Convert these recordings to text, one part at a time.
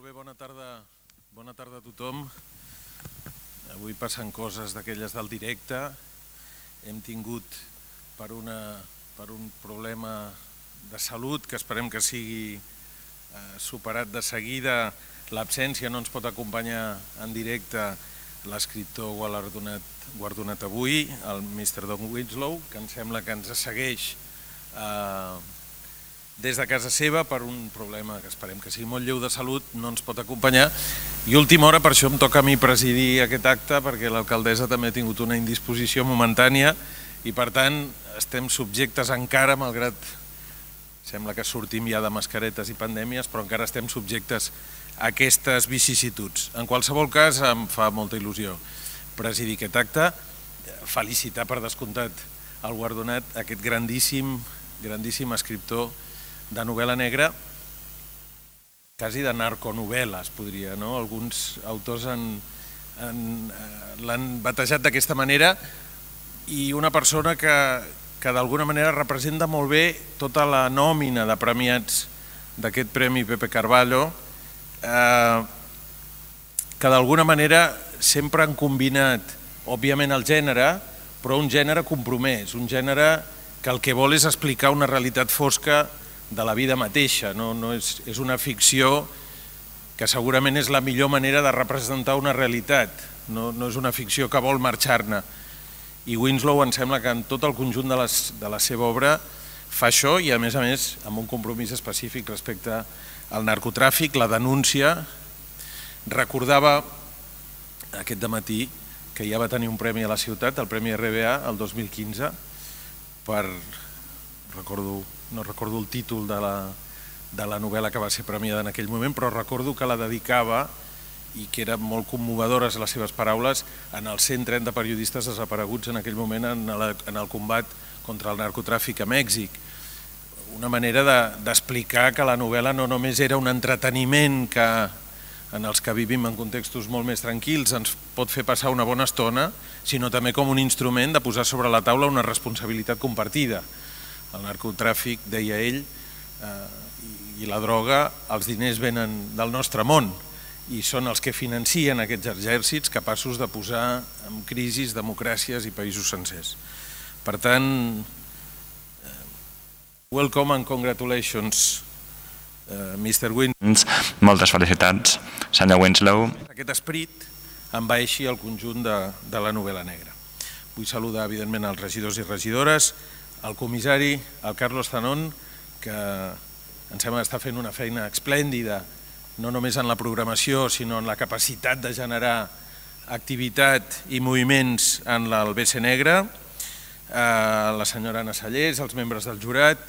bé, bona tarda a tothom. Avui passen coses d'aquelles del directe. Hem tingut per un problema de salut que esperem que sigui superat de seguida. L'absència no ens pot acompanyar en directe l'escriptor guardonat avui, el Mr. Don Winslow, que em sembla que ens segueix des de casa seva per un problema que esperem que sigui molt lleu de salut, no ens pot acompanyar. I última hora, per això em toca a mi presidir aquest acte, perquè l'alcaldessa també ha tingut una indisposició momentània i per tant estem subjectes encara, malgrat sembla que sortim ja de mascaretes i pandèmies, però encara estem subjectes a aquestes vicissituds. En qualsevol cas, em fa molta il·lusió presidir aquest acte, felicitar per descomptat el guardonat, aquest grandíssim escriptor de novel·la negra, quasi de narconovel·les, podria, no? Alguns autors l'han batejat d'aquesta manera, i una persona que d'alguna manera representa molt bé tota la nòmina de premiats d'aquest Premi Pepe Carballo, que d'alguna manera sempre han combinat, òbviament, el gènere, però un gènere compromès, un gènere que el que vol és explicar una realitat fosca de la vida mateixa. És una ficció que segurament és la millor manera de representar una realitat, no és una ficció que vol marxar-ne. I Winslow em sembla que en tot el conjunt de la seva obra fa això, i a més amb un compromís específic respecte al narcotràfic, la denúncia. Recordava aquest dematí que ja va tenir un premi a la ciutat, el Premi RBA, el 2015, no recordo el títol de la novel·la que va ser premiada en aquell moment, però recordo que la dedicava, i que eren molt commovedores les seves paraules, en els 130 periodistes desapareguts en aquell moment en el combat contra el narcotràfic a Mèxic. Una manera d'explicar que la novel·la no només era un entreteniment que en els que vivim en contextos molt més tranquils ens pot fer passar una bona estona, sinó també com un instrument de posar sobre la taula una responsabilitat compartida. El narcotràfic, deia ell, i la droga, els diners venen del nostre món i són els que financien aquests exèrcits capaços de posar en crisi democràcies i països sencers. Per tant, welcome and congratulations, Mr. Winslow. Moltes felicitats, senyor Winslow. Aquest esperit envaeixi el conjunt de la novel·la negra. Vull saludar, evidentment, els regidors i regidores, el comissari, el Carlos Zanón, que em sembla que està fent una feina esplèndida, no només en la programació, sinó en la capacitat de generar activitat i moviments en el BC Negre, la senyora Anna Sallés, els membres del jurat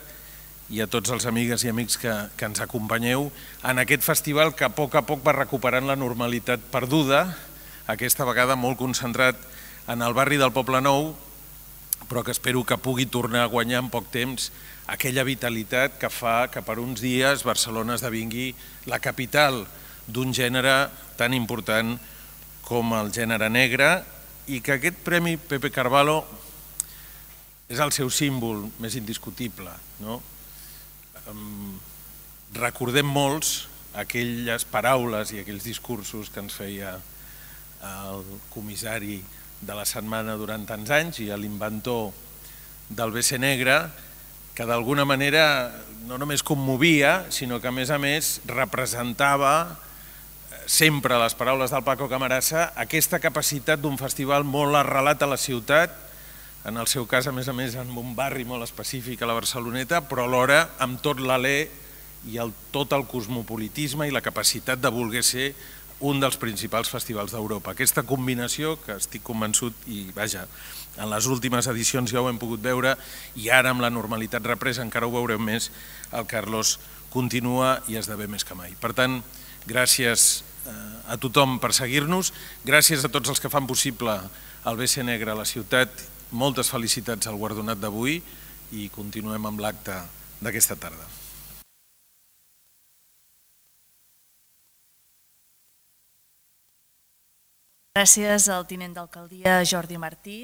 i a tots els amigues i amics que ens acompanyeu en aquest festival que a poc va recuperant la normalitat perduda, aquesta vegada molt concentrat en el barri del Poble Nou, però que espero que pugui tornar a guanyar en poc temps aquella vitalitat que fa que per uns dies Barcelona esdevingui la capital d'un gènere tan important com el gènere negre, i que aquest Premi Pepe Carballo és el seu símbol més indiscutible. Recordem molts aquelles paraules i aquells discursos que ens feia el comissari de la setmana durant tants anys i l'inventor del BC Negre, que d'alguna manera no només commovia, sinó que a més representava sempre les paraules del Paco Camarasa, aquesta capacitat d'un festival molt arrelat a la ciutat, en el seu cas a més en un barri molt específic a la Barceloneta, però alhora amb tot l'alè i tot el cosmopolitisme i la capacitat de voler ser un dels principals festivals d'Europa. Aquesta combinació, que estic convençut, i vaja, en les últimes edicions ja ho hem pogut veure, i ara amb la normalitat represa encara ho veurem més, el Carlos continua i esdevé més que mai. Per tant, gràcies a tothom per seguir-nos, gràcies a tots els que fan possible el BC Negre a la ciutat, moltes felicitats al guardonat d'avui i continuem amb l'acte d'aquesta tarda. Gràcies al tinent d'alcaldia Jordi Martí.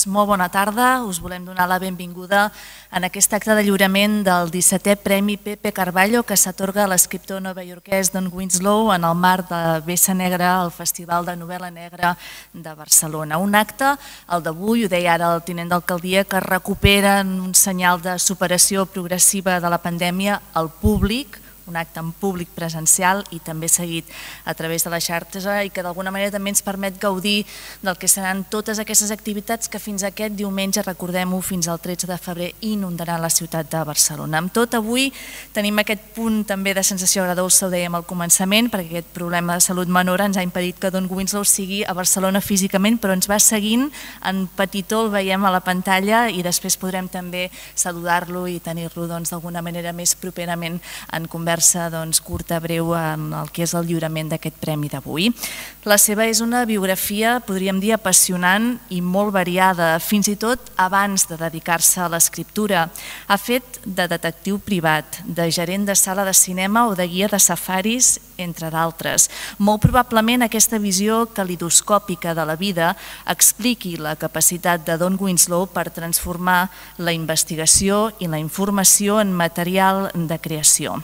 Doncs molt bona tarda, us volem donar la benvinguda en aquest acte de lliurament del 17è Premi Pepe Carballo que s'atorga a l'escriptor novaiorquès Don Winslow en el marc de Vessa Negra, el Festival de Novel·la Negra de Barcelona. Un acte, el d'avui, ho deia ara el tinent d'alcaldia, que recupera un senyal de superació progressiva de la pandèmia al públic, un acte en públic presencial i també seguit a través de la xarxa i que d'alguna manera també ens permet gaudir del que seran totes aquestes activitats que fins aquest diumenge, recordem-ho, fins al 13 de febrer inundaran la ciutat de Barcelona. Amb tot, avui tenim aquest punt també de sensació agradolça, ho dèiem al començament, perquè aquest problema de salut menor ens ha impedit que Don Winslow sigui a Barcelona físicament, però ens va seguint en petitó, el veiem a la pantalla i després podrem també saludar-lo i tenir-lo d'alguna manera més properament en conversa curta, breu, en el que és el lliurament d'aquest premi d'avui. La seva és una biografia, podríem dir, apassionant i molt variada, fins i tot abans de dedicar-se a l'escriptura. Ha fet de detectiu privat, de gerent de sala de cinema o de guia de safaris, entre d'altres. Molt probablement aquesta visió calidoscòpica de la vida expliqui la capacitat de Don Winslow per transformar la investigació i la informació en material de creació.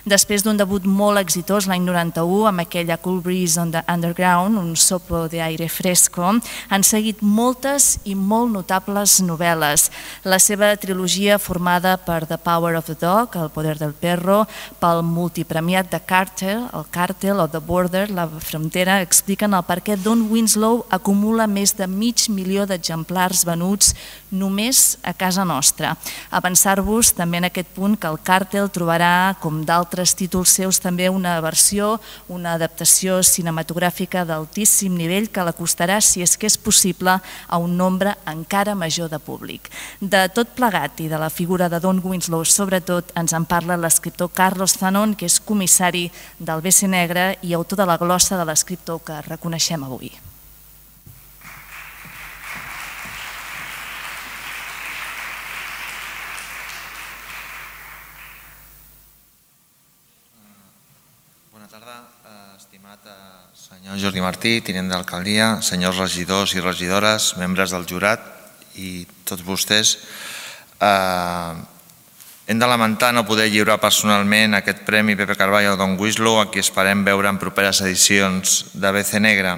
Després d'un debut molt exitós l'any 91 amb aquella Cool Breeze on the Underground, un soplo de aire fresco, han seguit moltes i molt notables novel·les. La seva trilogia formada per The Power of the Dog, El poder del perro, pel multipremiat de Cartel, el Càrtel o The Border, la frontera, expliquen el per què Don Winslow acumula més de 500.000 d'exemplars venuts només a casa nostra. Avançar-vos també en aquest punt que el Càrtel trobarà, com d'altres títols seus, també una versió, una adaptació cinematogràfica d'altíssim nivell que l'acostarà, si és que és possible, a un nombre encara major de públic. De tot plegat i de la figura de Don Winslow, sobretot, ens en parla l'escriptor Carlos Zanon, que és comissari del Vessa Negra i autor de la glossa de l'escriptor que reconeixem avui. Senyor Jordi Martí, tinent d'alcaldia, senyors regidors i regidores, membres del jurat i tots vostès, hem de lamentar no poder lliurar personalment aquest Premi Pepe Carballo a Don Winslow, a qui esperem veure en properes edicions de Vessa Negra.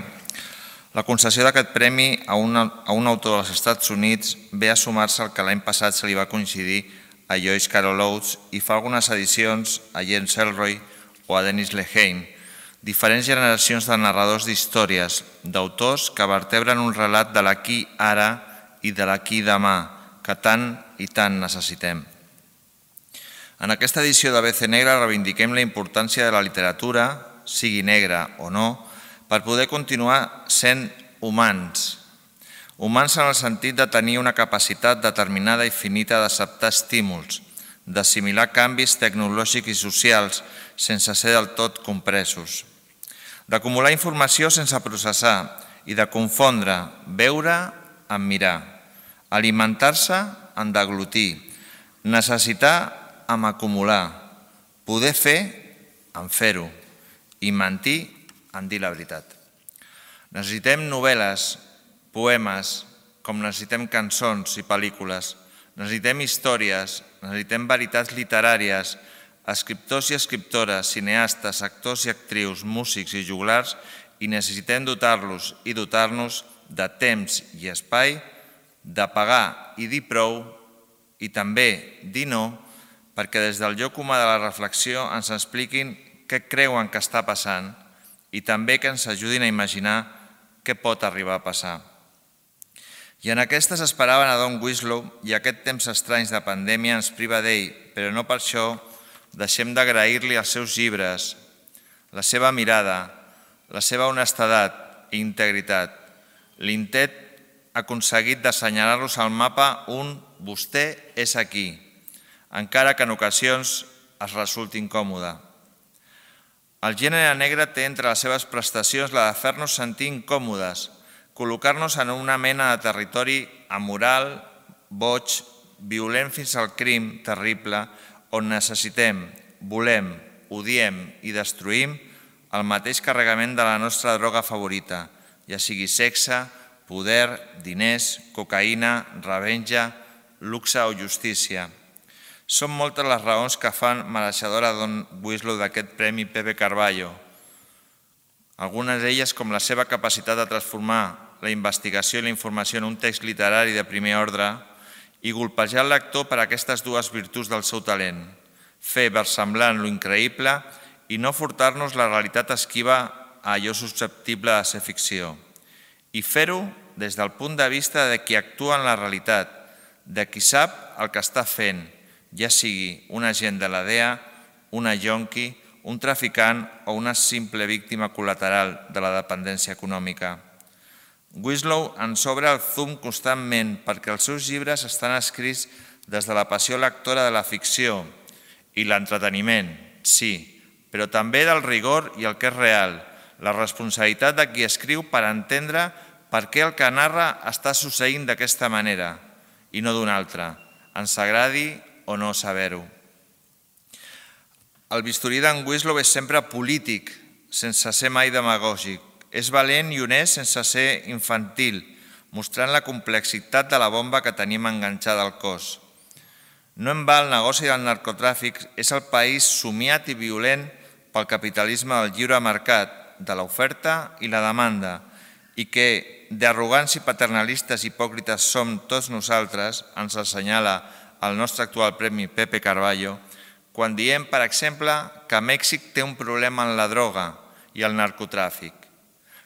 La concessió d'aquest premi a un autor dels Estats Units ve a sumar-se al que l'any passat se li va coincidir a Joyce Carol Oates i fa algunes edicions a James Ellroy o a Dennis Lehane, diferents generacions de narradors d'històries, d'autors que vertebren un relat de l'aquí ara i de l'aquí demà, que tant i tant necessitem. En aquesta edició de Vessa Negra reivindiquem la importància de la literatura, sigui negra o no, per poder continuar sent humans. Humans en el sentit de tenir una capacitat determinada i finita d'acceptar estímuls, d'assimilar canvis tecnològics i socials sense ser del tot compresos, d'acumular informació sense processar i de confondre veure amb mirar, alimentar-se en deglutir, necessitar amb acumular, poder fer en fer-ho i mentir en dir la veritat. Necessitem novel·les, poemes, com necessitem cançons i pel·lícules, necessitem històries, necessitem veritats literàries, escriptors i escriptores, cineastes, actors i actrius, músics i joglars, i necessitem dotar-los i dotar-nos de temps i espai, de pagar i dir prou, i també dir no, perquè des del lloc humà de la reflexió ens expliquin què creuen que està passant i també que ens ajudin a imaginar què pot arribar a passar. I en aquestes esperaven a Don Winslow i aquest temps estranys de pandèmia ens priva d'ell, però no per això deixem d'agrair-li els seus llibres, la seva mirada, la seva honestedat i integritat, l'intent aconseguit d'assenyalar-los al mapa un «vostè és aquí», encara que en ocasions es resulti incòmode. El gènere negre té entre les seves prestacions la de fer-nos sentir incòmodes, col·locar-nos en una mena de territori amoral, boig, violent fins al crim terrible, on necessitem, volem, odiem i destruïm el mateix carregament de la nostra droga favorita, ja sigui sexe, poder, diners, cocaïna, revenja, luxe o justícia. Són moltes les raons que fan mereixedora Don Winslow d'aquest Premi Pepe Carballo. Algunes d'elles com la seva capacitat de transformar la investigació i la informació en un text literari de primer ordre i golpejar el lector per aquestes dues virtuts del seu talent, fer versemblant lo increïble i no furtar-nos la realitat esquiva a allò susceptible de ser ficció. I fer-ho des del punt de vista de qui actua en la realitat, de qui sap el que està fent, ja sigui un agent de la DEA, una yonqui, un traficant o una simple víctima col·lateral de la dependència econòmica. Winslow ens obre el zoom constantment perquè els seus llibres estan escrits des de la passió lectora de la ficció i l'entreteniment, sí, però també del rigor i el que és real, la responsabilitat de qui escriu per entendre per què el que narra està succeint d'aquesta manera i no d'una altra, ens agradi o no saber-ho. El bisturí d'en Winslow és sempre polític, sense ser mai demagògic. És valent i honest sense ser infantil, mostrant la complexitat de la bomba que tenim enganxada al cos. No en va el negoci del narcotràfic, és el país somiat i violent pel capitalisme del lliure mercat, de l'oferta i la demanda, i que d'arrogants i paternalistes hipòcrites som tots nosaltres, ens assenyala el nostre actual Premi Pepe Carballo, quan diem, per exemple, que Mèxic té un problema en la droga i el narcotràfic,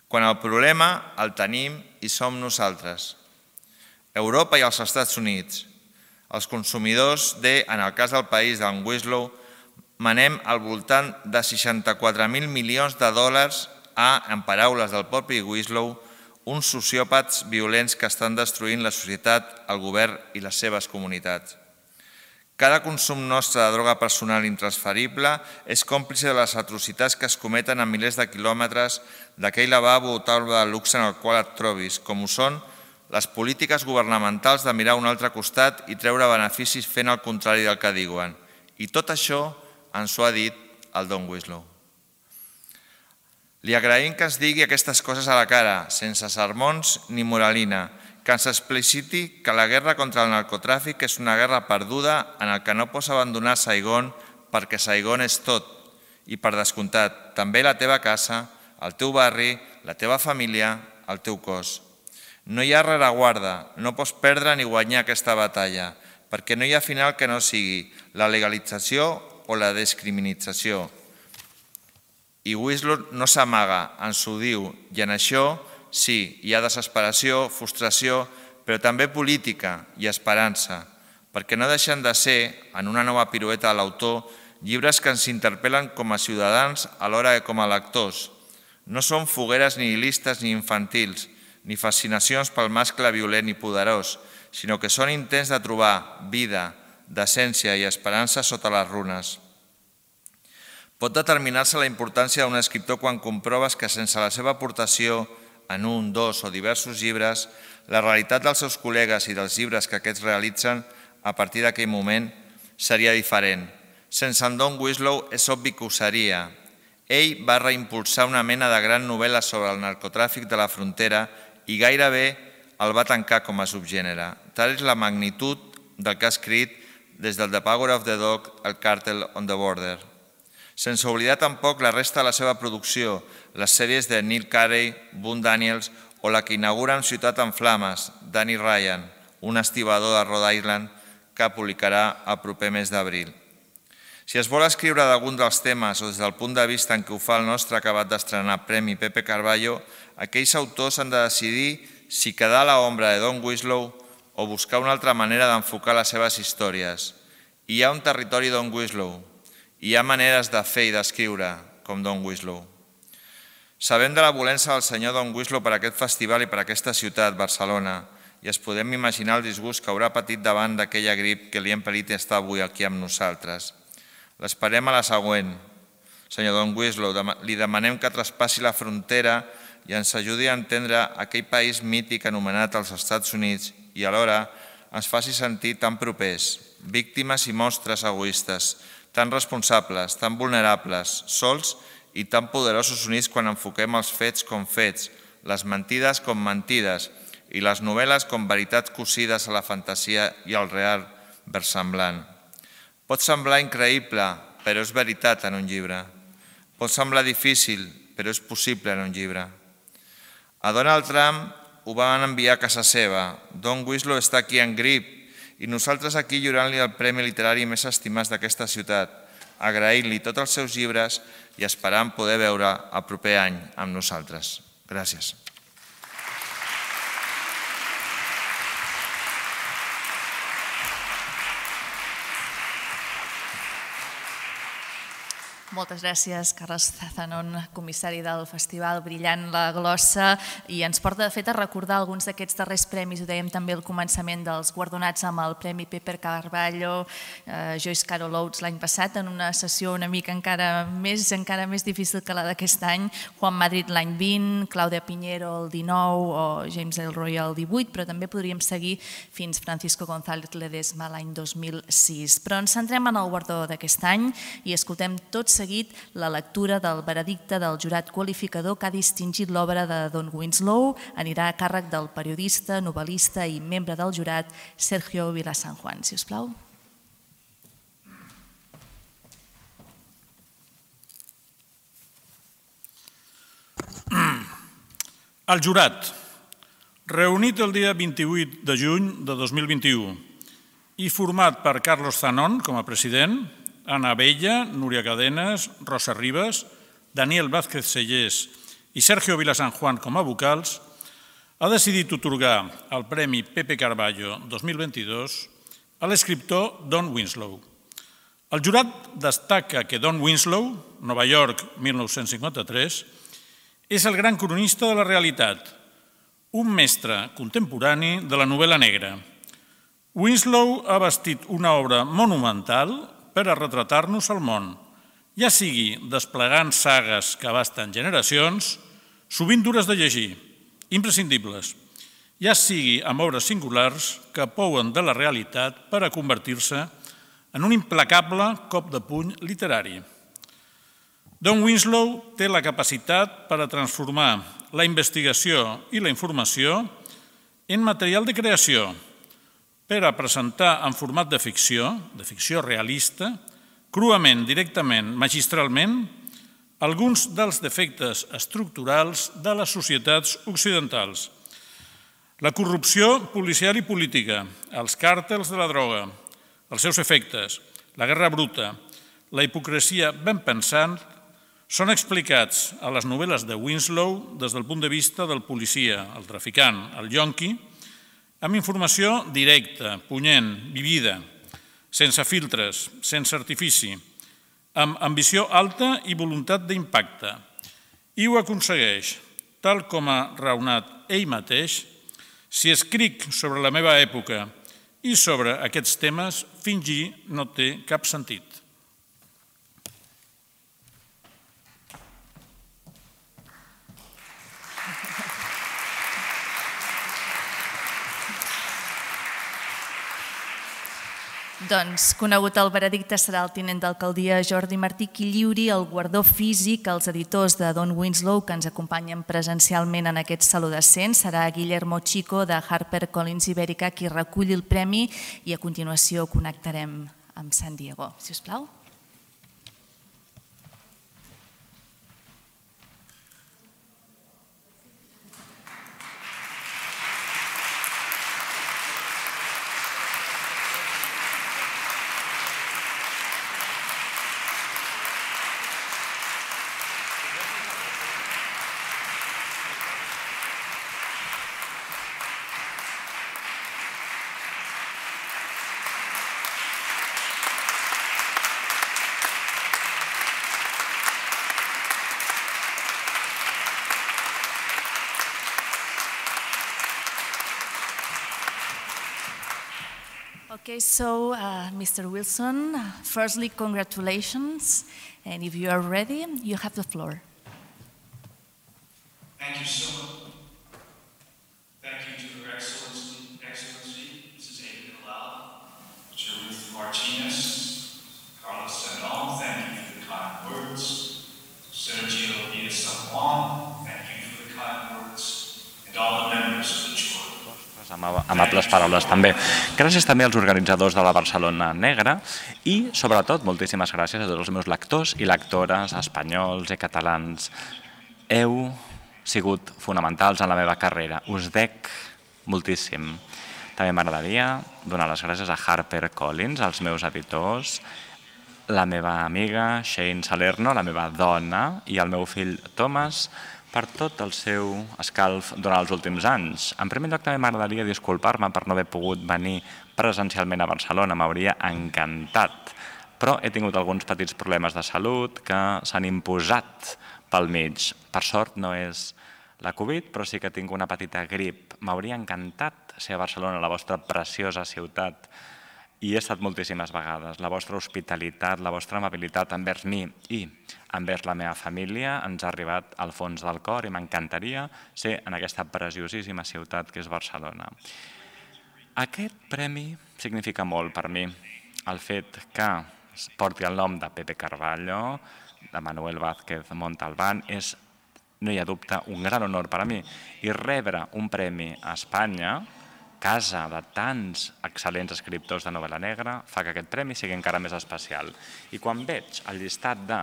quan el problema el tenim i som nosaltres. Europa i els Estats Units. Els consumidors en el cas del país d'en Winslow, manem al voltant de 64.000 milions de dòlars en paraules del propi Winslow, uns sociòpats violents que estan destruint la societat, el govern i les seves comunitats. Cada consum nostre de droga personal intransferible és còmplice de les atrocitats que es cometen a milers de quilòmetres d'aquell lavabo o taula de luxe en el qual et trobis, com ho són les polítiques governamentals de mirar a un altre costat i treure beneficis fent el contrari del que diuen. I tot això ens ho ha dit el Don Winslow. Li agraïm que ens digui aquestes coses a la cara, sense sermons ni moralina, que ens expliciti que la guerra contra el narcotràfic és una guerra perduda en el que no pots abandonar Saigon perquè Saigon és tot i, per descomptat, també la teva casa, el teu barri, la teva família, el teu cos. No hi ha rereguarda, no pots perdre ni guanyar aquesta batalla, perquè no hi ha final que no sigui la legalització o la descriminalització. I Winslow no s'amaga, ens ho diu, i en això sí, hi ha desesperació, frustració, però també política i esperança, perquè no deixen de ser, en una nova pirueta de l'autor, llibres que ens interpel·len com a ciutadans alhora que com a lectors. No són fogueres nihilistes ni infantils, ni fascinacions pel mascle violent i poderós, sinó que són intents de trobar vida, decència i esperança sota les runes. Pot determinar-se la importància d'un escriptor quan comproves que sense la seva aportació en un, dos o diversos llibres, la realitat dels seus col·legues i dels llibres que aquests realitzen a partir d'aquell moment seria diferent. Sense en Don Winslow és obvi que ho seria. Ell va reimpulsar una mena de gran novel·la sobre el narcotràfic de la frontera i gairebé el va tancar com a subgènere. Tal és la magnitud del que ha escrit des del The Power of the Dog al Cartel on the Border. Sense oblidar tampoc la resta de la seva producció, les sèries de Neil Carey, Boone Daniels o la que inaugura amb Ciutat en Flames, Danny Ryan, un estibador de Rhode Island que publicarà el proper mes d'abril. Si es vol escriure d'algun dels temes o des del punt de vista en què ho fa el nostre acabat d'estrenar Premi Pepe Carballo, aquells autors han de decidir si quedar a l'ombra de Don Winslow o buscar una altra manera d'enfocar les seves històries. Hi ha un territori Don Winslow, hi ha maneres de fer i d'escriure com Don Winslow. Sabem de la volença del senyor Don Winslow per aquest festival i per aquesta ciutat, Barcelona, i es podem imaginar el disgust que haurà patit davant d'aquella grip que li ha impedit estar avui aquí amb nosaltres. L'esperem a la següent. Senyor Don Winslow, li demanem que traspassi la frontera i ens ajudi a entendre aquell país mític anomenat els Estats Units i alhora ens faci sentir tan propers, víctimes i monstres egoistes, tan responsables, tan vulnerables, sols i tan poderosos units quan enfoquem els fets com fets, les mentides com mentides i les novel·les com veritats cosides a la fantasia i al real versemblant. Pot semblar increïble, però és veritat en un llibre. Pot semblar difícil, però és possible en un llibre. A Donald Trump ho van enviar a casa seva. Don Winslow està aquí en grip i nosaltres aquí lliurant-li el premi literari més estimat d'aquesta ciutat, agraint-li tots els seus llibres i esperant poder veure el proper any amb nosaltres. Gràcies. Moltes gràcies, Carles Zanon, comissari del festival, brillant la glossa, i ens porta, de fet, a recordar alguns d'aquests darrers premis. Ho dèiem també al començament, dels guardonats amb el Premi Pepe Carballo, Joyce Carol Oates l'any passat, en una sessió una mica encara més difícil que la d'aquest any, Juan Madrid l'any 20, Claudia Piñero el 19 o James Ellroy el 18, però també podríem seguir fins Francisco González Ledesma l'any 2006. Però ens centrem en el guardó d'aquest any i escoltem tot seguit la lectura del veredicte del jurat qualificador que ha distingit l'obra de Don Winslow. Anirà a càrrec del periodista, novel·lista i membre del jurat Sergio Vilasanjuan. Si us plau. El jurat, reunit el dia 28 de juny de 2021 i format per Carlos Zanon com a president, Ana Abella, Núria Cadenes, Rosa Ribas, Daniel Vázquez Sellés i Sergio Vilasanjuan com a vocals, ha decidit atorgar el Premi Pepe Carballo 2022 a l'escriptor Don Winslow. El jurat destaca que Don Winslow, Nova York, 1953, és el gran cronista de la realitat, un mestre contemporani de la novel·la negra. Winslow ha bastit una obra monumental per a retratar-nos al món, ja sigui desplegant sagues que abasten generacions, sovint dures de llegir, imprescindibles, ja sigui amb obres singulars que pouen de la realitat per a convertir-se en un implacable cop de puny literari. Don Winslow té la capacitat per a transformar la investigació i la informació en material de creació, per a presentar en format de ficció realista, cruament, directament, magistralment, alguns dels defectes estructurals de les societats occidentals. La corrupció policial i política, els càrtels de la droga, els seus efectes, la guerra bruta, la hipocresia ben pensant, són explicats a les novel·les de Winslow des del punt de vista del policia, el traficant, el yonqui, amb informació directa, punyent, vivida, sense filtres, sense artifici, amb ambició alta i voluntat d'impacte. I ho aconsegueix, tal com ha raonat ell mateix: si escric sobre la meva època i sobre aquests temes, fingir no té cap sentit. Doncs, conegut el veredicte, serà el tinent d'alcaldia Jordi Martí qui lliuri el guardó físic als editors de Don Winslow que ens acompanyen presencialment en aquest saló decent. Serà Guillermo Chico de HarperCollins Ibèrica qui reculli el premi i a continuació connectarem amb San Diego. Si us plau. Okay, so Mr. Wilson, firstly, congratulations, and if you are ready, you have the floor. Thank you so much. Thank you to Her Excellency, Mrs. Ada Colau, Chair Ruth Martinez, Carlos Zanon, thank you for the kind words. Sergio Villasanjuan, thank you for the kind words, and all the members of the jury. amables paraules també. Gràcies també als organitzadors de la Barcelona Negra i, sobretot, moltíssimes gràcies a tots els meus lectors i lectores espanyols i catalans. Heu sigut fonamentals en la meva carrera. Us dec moltíssim. També m'agradaria donar les gràcies a HarperCollins, als meus editors, la meva amiga Shane Salerno, la meva dona, i el meu fill Thomas, per tot el seu escalf durant els últims anys. En primer lloc també m'agradaria disculpar-me per no haver pogut venir presencialment a Barcelona, m'hauria encantat, però he tingut alguns petits problemes de salut que s'han imposat pel mig. Per sort no és la Covid, però sí que tinc una petita grip. M'hauria encantat ser a Barcelona, la vostra preciosa ciutat, i he estat moltíssimes vegades. La vostra hospitalitat, la vostra amabilitat envers mi i envers la meva família ens ha arribat al fons del cor i m'encantaria ser en aquesta preciosíssima ciutat que és Barcelona. Aquest premi significa molt per mi. El fet que porti el nom de Pepe Carballo, de Manuel Vázquez Montalbán, és, no hi ha dubte, un gran honor per a mi. I rebre un premi a Espanya, casa de tants excel·lents escriptors de novel·la negra, fa que aquest premi sigui encara més especial. I quan veig el llistat de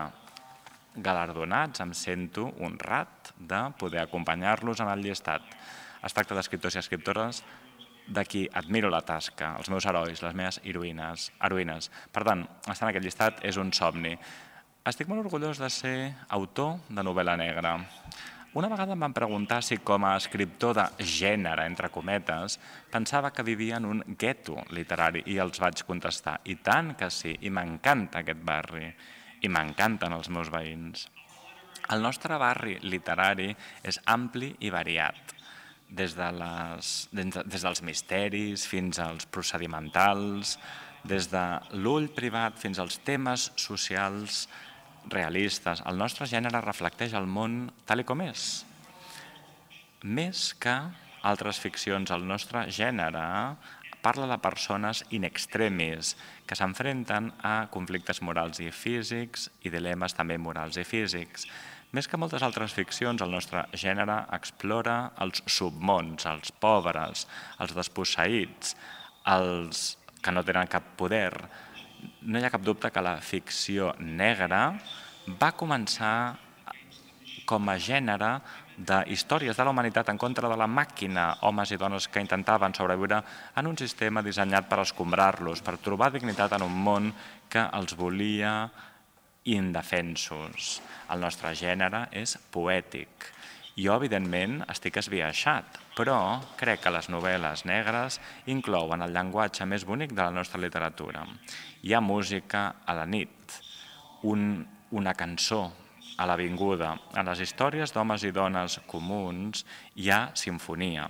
galardonats em sento honrat de poder acompanyar-los en el llistat. Es tracta d'escriptors i escriptores de qui admiro la tasca, els meus herois, les meves heroïnes. Per tant, estar en aquest llistat és un somni. Estic molt orgullós de ser autor de novel·la negra. Una vegada em van preguntar si com a escriptor de gènere, entre cometes, pensava que vivia en un gueto literari i els vaig contestar, i tant que sí, i m'encanta aquest barri, i m'encanten els meus veïns. El nostre barri literari és ampli i variat, des dels misteris fins als procedimentals, des de l'ull privat fins als temes socials realistes. El nostre gènere reflecteix el món tal com és. Més que altres ficcions, el nostre gènere parla de persones in extremis que s'enfrenten a conflictes morals i físics i dilemes també morals i físics. Més que moltes altres ficcions, el nostre gènere explora els submons, els pobres, els desposseïts, els que no tenen cap poder. No hi ha cap dubte que la ficció negra va començar com a gènere d'històries de la humanitat en contra de la màquina, homes i dones que intentaven sobreviure en un sistema dissenyat per escombrar-los, per trobar dignitat en un món que els volia indefensos. El nostre gènere és poètic. Jo, evidentment, estic esbiaixat, però crec que les novel·les negres inclouen el llenguatge més bonic de la nostra literatura. Hi ha música a la nit, una cançó a l'avinguda. En les històries d'homes i dones comuns hi ha simfonia.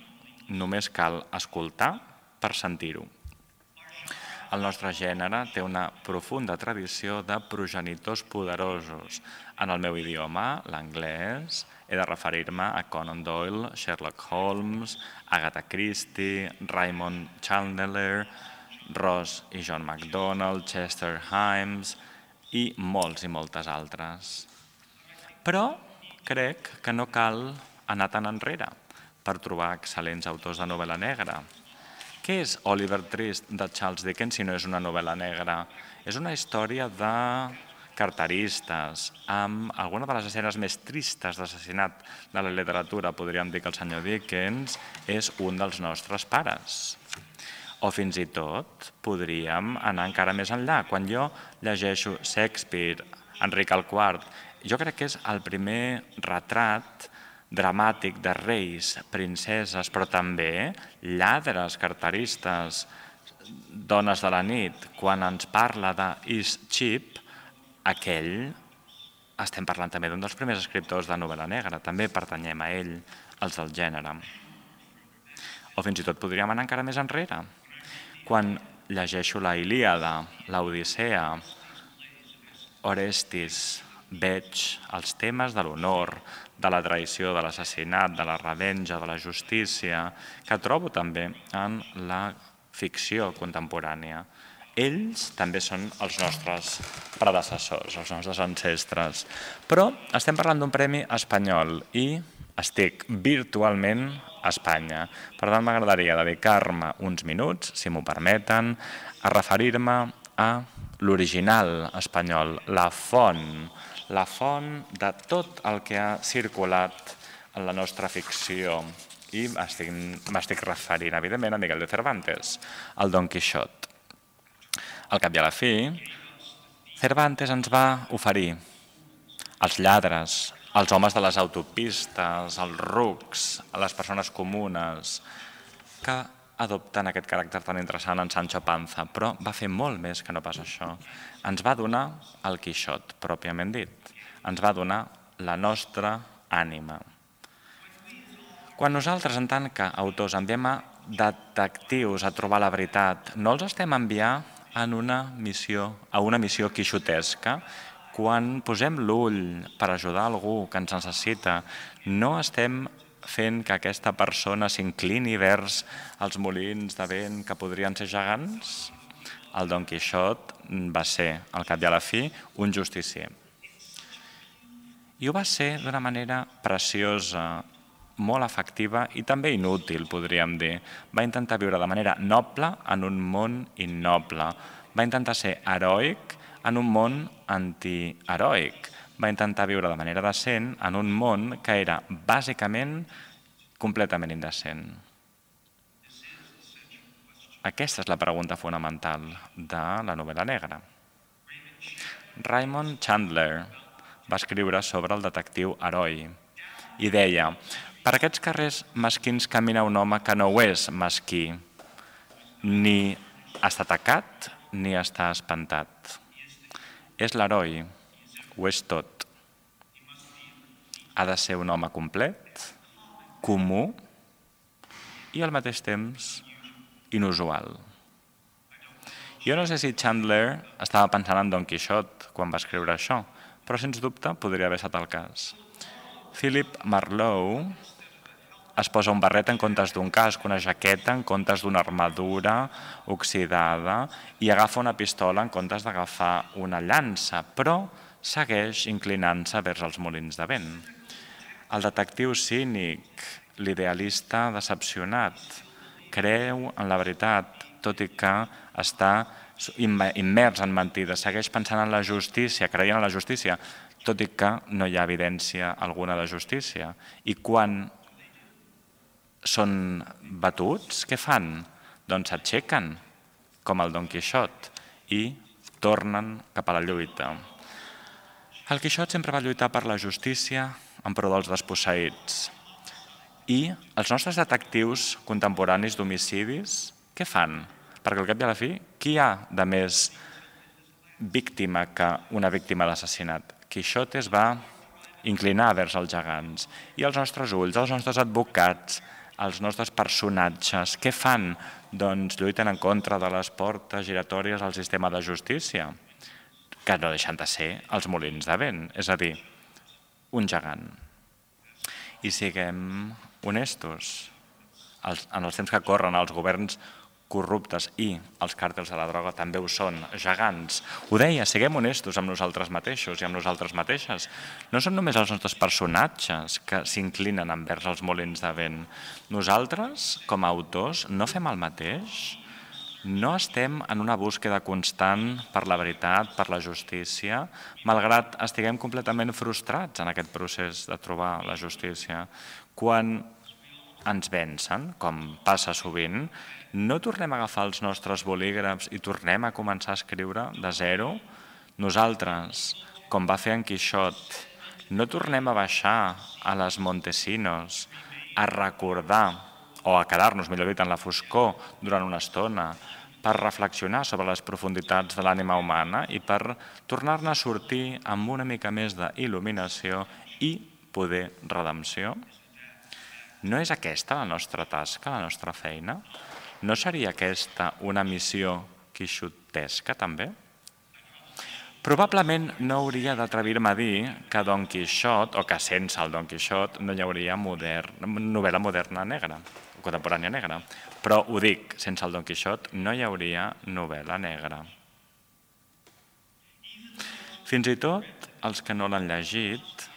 Només cal escoltar per sentir-ho. El nostre gènere té una profunda tradició de progenitors poderosos. En el meu idioma, l'anglès, he de referir-me a Conan Doyle, Sherlock Holmes, Agatha Christie, Raymond Chandler, Ross i John MacDonald, Chester Himes i molts i moltes altres. Però crec que no cal anar tan enrere per trobar excel·lents autors de novel·la negra. Què és Oliver Twist de Charles Dickens si no és una novel·la negra? És una història de carteristes, amb alguna de les escenes més tristes d'assassinat de la literatura. Podríem dir que el senyor Dickens és un dels nostres pares. O fins i tot podríem anar encara més enllà. Quan jo llegeixo Shakespeare, Enric el IV, jo crec que és el primer retrat dramàtic de reis, princeses, però també lladres, carteristes, dones de la nit. Quan ens parla d'Eastcheap, aquell, estem parlant també d'un dels primers escriptors de novel·la negra, també pertanyem a ell, els del gènere. O fins i tot podríem anar encara més enrere. Quan llegeixo la Ilíada, l'Odissea, Orestes, veig els temes de l'honor, de la traïció, de l'assassinat, de la revenja, de la justícia, que trobo també en la ficció contemporània. Ells també són els nostres predecessors, els nostres ancestres. Però estem parlant d'un premi espanyol i estic virtualment Espanya. Per tant, m'agradaria dedicar-me uns minuts, si m'ho permeten, a referir-me a l'original espanyol, la font de tot el que ha circulat en la nostra ficció. I m'estic referint, evidentment, a Miguel de Cervantes, el Don Quixot. Al cap i a la fi, Cervantes ens va oferir els lladres, els homes de les autopistes, els rucs, les persones comunes, que adopten aquest caràcter tan interessant en Sancho Panza, però va fer molt més que no pas això. Ens va donar el Quixot, pròpiament dit. Ens va donar la nostra ànima. Quan nosaltres, en tant que autors, enviem a detectius a trobar la veritat, no els estem enviant a una missió quixotesca. Quan posem l'ull per ajudar algú que ens necessita, no estem fent que aquesta persona s'inclini vers els molins de vent que podrien ser gegants? El Don Quixot va ser, al cap i a la fi, un justicier. I ho va ser d'una manera preciosa, molt efectiva i també inútil, podríem dir. Va intentar viure de manera noble en un món innoble. Va intentar ser heroic en un món antiheroic. Va intentar viure de manera decent en un món que era bàsicament completament indecent. Aquesta és la pregunta fonamental de la novel·la negra. Raymond Chandler va escriure sobre el detectiu heroi i deia: per aquests carrers mesquins camina un home que no ho és mesquí, ni està atacat ni està espantat. És l'heroi, ho és tot. Ha de ser un home complet, comú i al mateix temps inusual. Jo no sé si Chandler estava pensant en Don Quixot quan va escriure això, però sens dubte podria haver estat el cas. Philip Marlowe es posa un barret en comptes d'un casc, una jaqueta en comptes d'una armadura oxidada i agafa una pistola en comptes d'agafar una llança, però segueix inclinant-se vers els molins de vent. El detectiu cínic, l'idealista decepcionat, creu en la veritat, tot i que està immers en mentides, segueix pensant en la justícia, creient en la justícia, tot i que no hi ha evidència alguna de justícia. I quan són batuts, què fan? Doncs s'aixequen, com el Don Quixot, i tornen cap a la lluita. El Quixot sempre va lluitar per la justícia en pro dels desposseïts. I els nostres detectius contemporanis d'homicidis, què fan? Perquè al cap i a la fi, qui hi ha de més víctima que una víctima d'assassinat? Quixot es va inclinar vers els gegants. I els nostres ulls, els nostres advocats, els nostres personatges, què fan? Doncs lluiten en contra de les portes giratòries al sistema de justícia, que no deixen de ser els molins de vent, és a dir, un gegant. I siguem honestos, en els temps que corren els governs corruptes i els càrtels de la droga també ho són, gegants. Ho deia, siguem honestos amb nosaltres mateixos i amb nosaltres mateixes. No són només els nostres personatges que s'inclinen envers els molins de vent. Nosaltres, com a autors, no fem el mateix? No estem en una búsqueda constant per la veritat, per la justícia, malgrat estiguem completament frustrats en aquest procés de trobar la justícia. Quan ens vencen, com passa sovint, no tornem a agafar els nostres bolígrafs i tornem a començar a escriure de zero? Nosaltres, com va fer en Quixot, no tornem a baixar a les Montesinos, a recordar, o a quedar-nos, millor dit, en la foscor durant una estona, per reflexionar sobre les profunditats de l'ànima humana i per tornar-ne a sortir amb una mica més d'il·luminació i poder redempció? No és aquesta la nostra tasca, la nostra feina? No seria aquesta una missió quixotesca, també? Probablement no hauria d'atrevir-me a dir que Don Quixot, o que sense el Don Quixot, no hi hauria novel·la moderna negra, contemporània negra. Però ho dic, sense el Don Quixot no hi hauria novel·la negra. Fins i tot els que no l'han llegit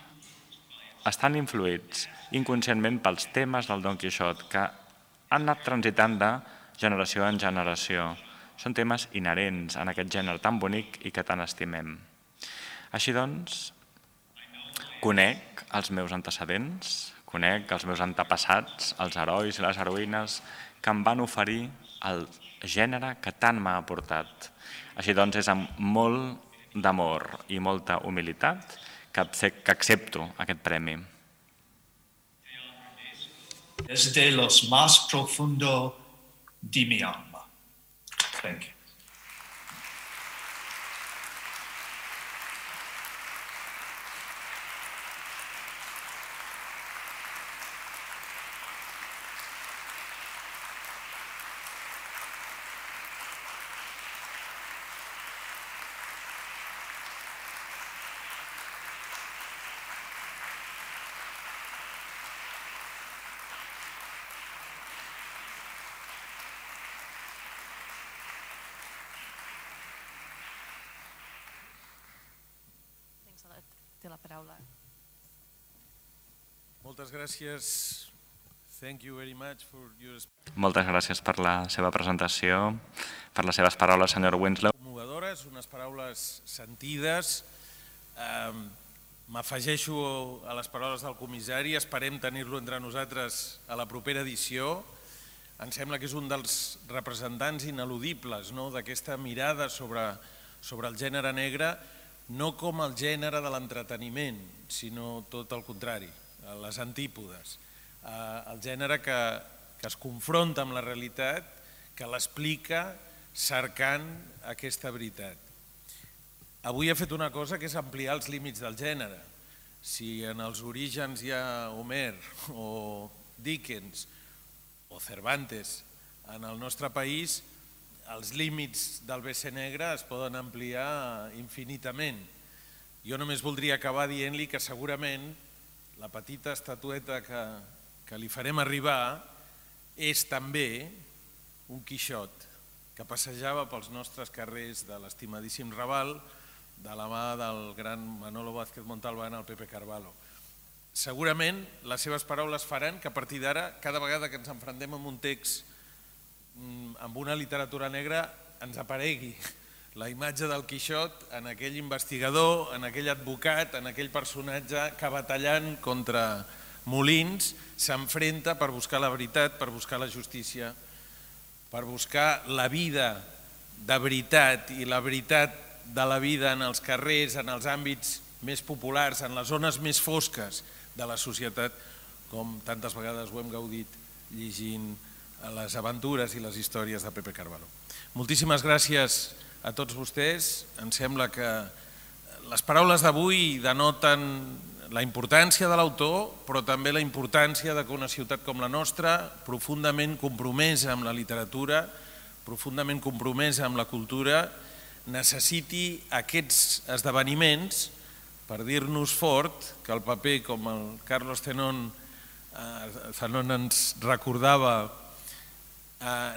estan influïts inconscientment pels temes del Don Quixot que han anat transitant de generació en generació. Són temes inherents en aquest gènere tan bonic i que tant estimem. Així doncs, conec els meus antecedents, conec els meus antepassats, els herois i les heroïnes que em van oferir el gènere que tant m'ha aportat. Així doncs, és amb molt d'amor i molta humilitat que accepto aquest premi. Desde los más profundo de mi alma. Thank you. Té la paraula. Moltes gràcies. Thank you very much for your... Moltes gràcies per la seva presentació, per les seves paraules, senyor Winslow. Commovedores, unes paraules sentides. M'afegeixo a les paraules del comissari, esperem tenir-lo entre nosaltres a la propera edició. Em sembla que és un dels representants ineludibles d'aquesta mirada sobre el gènere negre, no com el gènere de l'entreteniment, sinó tot el contrari, les antípodes. El gènere que es confronta amb la realitat, que l'explica cercant aquesta veritat. Avui ha fet una cosa que és ampliar els límits del gènere. Si en els orígens hi ha Homer o Dickens o Cervantes en el nostre país, els límits del BC negre es poden ampliar infinitament. Jo només voldria acabar dient-li que segurament la petita estatueta que li farem arribar és també un Quixot que passejava pels nostres carrers de l'estimadíssim Raval de la mà del gran Manolo Vázquez Montalbán al Pepe Carvalho. Segurament les seves paraules faran que a partir d'ara, cada vegada que ens enfrontem amb un text amb una literatura negra, ens aparegui la imatge del Quixot en aquell investigador, en aquell advocat, en aquell personatge que batallant contra molins s'enfrenta per buscar la veritat, per buscar la justícia, per buscar la vida de veritat i la veritat de la vida en els carrers, en els àmbits més populars, en les zones més fosques de la societat, com tantes vegades ho hem gaudit llegint les aventures i les històries de Pepe Carvalho. Moltíssimes gràcies a tots vostès. Em sembla que les paraules d'avui denoten la importància de l'autor, però també la importància que una ciutat com la nostra, profundament compromesa amb la literatura, profundament compromesa amb la cultura, necessiti aquests esdeveniments per dir-nos fort que el paper, com el Carlos Zenon ens recordava,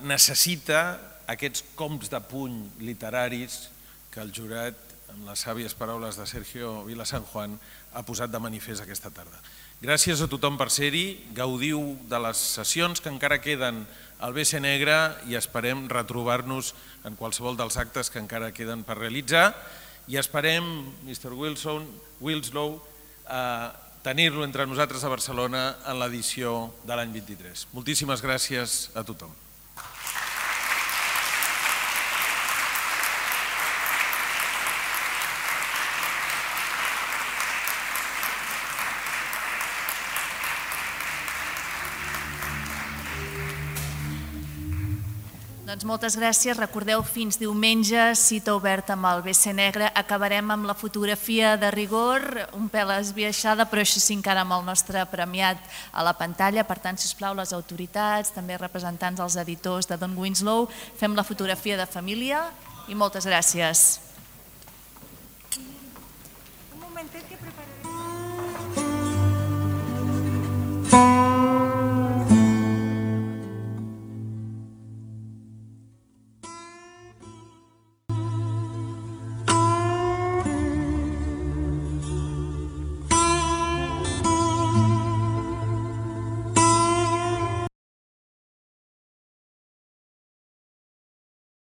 necessita aquests cops de puny literaris que el jurat, amb les sàvies paraules de Sergio Vila San Juan, ha posat de manifest aquesta tarda. Gràcies a tothom per ser-hi, gaudiu de les sessions que encara queden al BC Negre i esperem retrobar-nos en qualsevol dels actes que encara queden per realitzar i esperem, Mr. Winslow, tenir-lo entre nosaltres a Barcelona en l'edició de l'any 23. Moltíssimes gràcies a tothom. Doncs moltes gràcies. Recordeu, fins diumenge, cita oberta amb el BC Negre. Acabarem amb la fotografia de rigor, un pèl esbiaixada, però així sí encara amb el nostre premiat a la pantalla. Per tant, sisplau, les autoritats, també representants dels editors de Don Winslow, fem la fotografia de família i moltes gràcies. Un momentet que preparem.